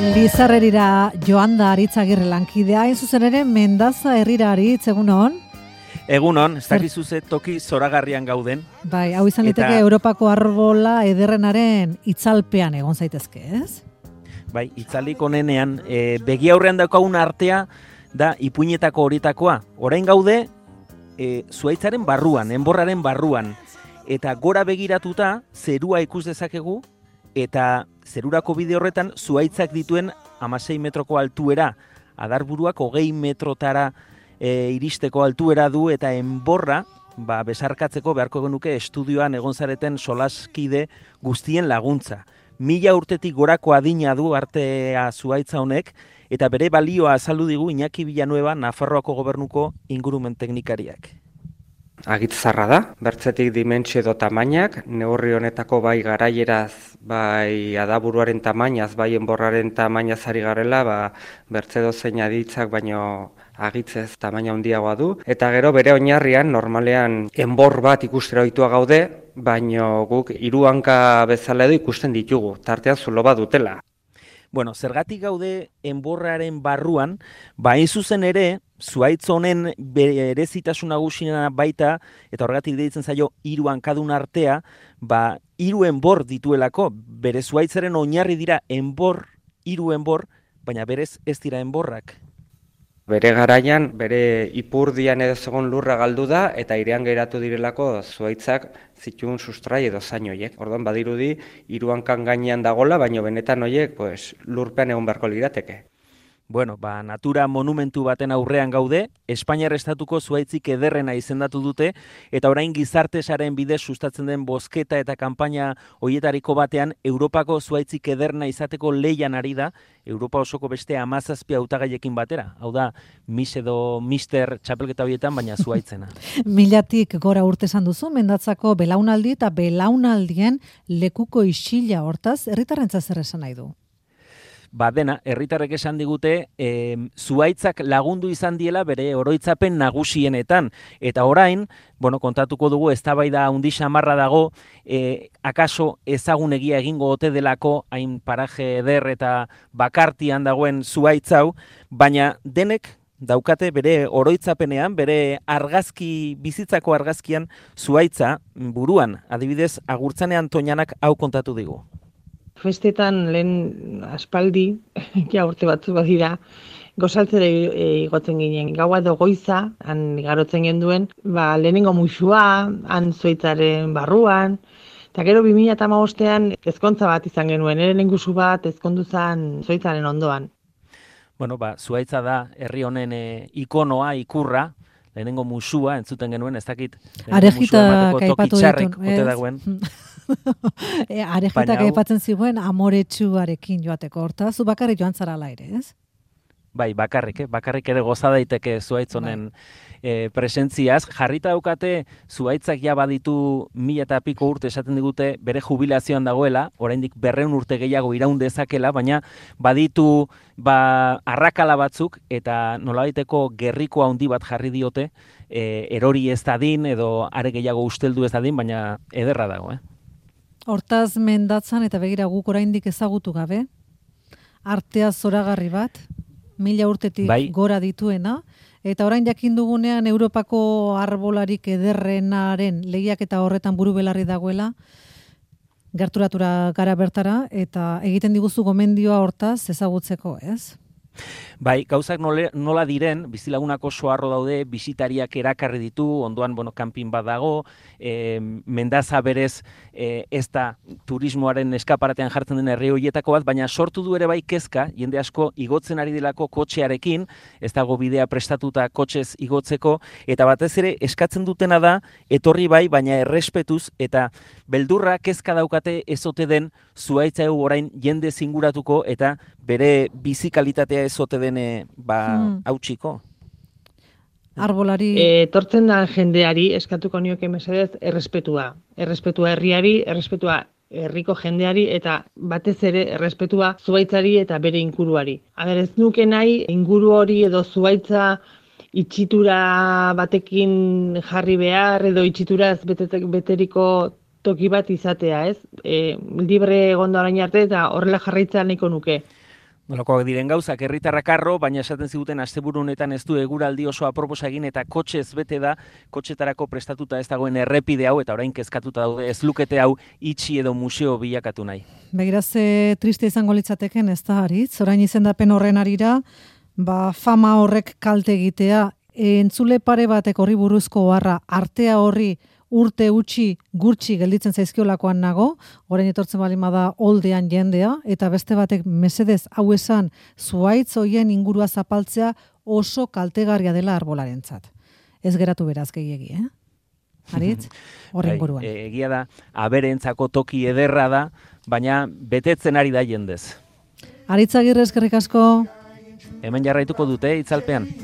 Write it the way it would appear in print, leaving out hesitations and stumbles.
Lizarrerira joan da Aritzagirre lankidea, hain zuzen ere Mendaza herrira Aritz, egunon? Egunon, ez dakizu ze toki zoragarrian gauden. Bai, hau izan liteke Europako arbola ederrenaren itzalpean egon zaitezke, ez? Bai, itzalik onenean, begi aurrean daukagun artea da ipuinetako horietakoa. Orain gaude, zuaitzaren barruan, enborraren barruan. Eta gora begiratuta, zerua ikus dezakegu, eta zerurako bide horretan zuaitzak dituen 16 metroko altuera, adarburuak 20 metrotara iristeko altuera du, eta enborra, besarkatzeko beharko genuke estudioan egon zareten solaskide guztien laguntza. 1000 urtetik gorako adina du artea zuaitza honek, eta bere balioa azaldu digu Iñaki Villanueva, Nafarroako gobernuko ingurumen teknikariak. Agitzarra da, bertzetik dimentsio edo tamainak, neurri honetako bai garaieraz, bai adaburuaren tamainaz, bai enborraren tamainaz ari garela, bertze dozein aditzak baino agitzez tamaina handiagoa du. Eta gero bere oinarrian, normalean enbor bat ikustera ohitua gaude, baino guk 3 hanka bezala edo ikusten ditugu, tartean zulo bat dutela. Bueno, zergatik gaude enborraren barruan, hain zuzen ere, zuaitz honen berezitasun nagusiena baita, eta horregatik deitzen zaio 3 hankadun artea, 3 enbor dituelako, bere zuaitzaren oinarri dira 3 enbor, baina berez ez dira enborrak. Bere garaian, bere ipurdian edo zegoen lurra galdu da, eta airean geratu direlako zuaitzak zituen sustrai edo zain horiek. Orduan badirudi 3 hankan gainean dagola, baina benetan horiek lurpean egon beharko lirateke. Bueno, natura monumentu baten aurrean gaude, Espainiar estatuko zuaitzik ederrena izendatu dute, eta orain gizartesaren bidez sustatzen den bozketa eta kanpaina horietariko batean, Europako zuaitzik ederrena izateko lehian ari da, Europa osoko beste 17 hautagaiekin batera. Hau da, Miss edo Mister txapelketa horietan, baina zuaitzena. 1000tik gora urte esan duzu, Mendatzako belaunaldi eta belaunaldien lekuko isila, hortaz, herritarrentzat zer esan nahi du? Dena, herritarrek esan digute, zuaitzak lagundu izan diela bere oroitzapen nagusienetan. Eta orain, kontatuko dugu, eztabaida handi xamarra dago, akaso ezagunegia egingo ote delako, hain paraje eder eta bakartian dagoen zuaitz hau, baina denek daukate bere oroitzapenean, bere argazki, bizitzako argazkian zuaitza buruan. Adibidez, Agurtzanean Toñanak hau kontatu digu. Festetan lehen aspaldi, urte batzu badira, gozaltzera igotzen ginen. Gaua edo goiza, han igarotzen genduen, lehenengo muxua, han zuaitzaren barruan, eta gero 2015ean ezkontza bat izan genuen, lehengusu bat ezkondu zen zuaitzaren ondoan. Bueno, zuaitza da herri honen ikonoa, ikurra, lehenengo musua entzuten genuen, ez dakit. Arejitak aipatu ditun, ez? Arejitak aipatzen ziguen amoretsuarekin joateko, hortaz, zu bakarrik joan zara ala ere, ez? Bai, bakarrik ere goza daiteke zuaitz honen presentziaz. Jarrita daukate zuaitzak ja baditu 1000 eta piko urte esaten digute bere jubilazioan dagoela, oraindik 200 urte gehiago iraun dezakela, baina baditu arrakala batzuk eta nolabaiteko gerriko handi bat jarri diote, erori ez dadin edo are gehiago usteldu ez dadin, baina ederra dago, Hortaz Mendatzan eta begira guk oraindik ezagutu gabe, artea zoragarri bat, 1000 urtetik gora dituena, eta orain jakin dugunean Europako arbolarik ederrenaren lehiaketa horretan buru belarri dagoela, gerturatura gara bertara, eta egiten diguzu gomendioa hortaz ezagutzeko, ez? Bai, gauzak nola diren, bizilagunak oso harro daude, bisitariak erakarri ditu, ondoan, kanpin bat dago, Mendaza berez ez da turismoaren eskaparatean jartzen den herri horietako bat, baina sortu du ere bai kezka, jende asko igotzen ari delako kotxearekin, ez dago bidea prestatuta kotxez igotzeko, eta batez ere eskatzen dutena da, etorri bai, baina errespetuz, eta beldurra kezka daukate ezote den zuaitza orain jende zinguratuko, eta bere bizikalitatea ezote den hautsiko. Arbolari... Etortzen da jendeari, eskatuko nioke mesedez, errespetua. Errespetua herriari, errespetua herriko jendeari, eta batez ere errespetua zuaitzari eta bere inguruari. Ez nuke nahi, inguru hori edo zuaitza itxitura batekin jarri behar, edo itxituraz beteriko toki bat izatea, ez? Libre egondo orain arte, eta horrela jarraitzea nahiko nuke. Nolakoak diren gauzak, herritarrak harro, baina esaten ziguten asteburu honetan ez du eguraldi oso aproposa egin eta kotxez bete da, kotxetarako prestatuta ez dagoen errepide hau eta orain kezkatuta daude ez lukete hau itxi edo museo bilakatu nahi. Begiraz, triste izango litzateken ez da Aritz, orain izendapen horren arira, fama horrek kalte egitea, entzule pare batek horri buruzko oharra, artea horri urte utzi gurtsi gelditzen zaizkiolakoan nago, orain etortzen baldin bada oldean jendea, eta beste batek mesedez hau esan zuhaitz hoien ingurua zapaltzea oso kaltegarria dela arbolarentzat. Ez geratu beraz gehiegi, Aritz, horren buruan. Egia da, aberentzako toki ederra da, baina betetzen ari da jendez. Aritz Agirre, eskerrik asko. Hemen jarraituko dute itzalpean.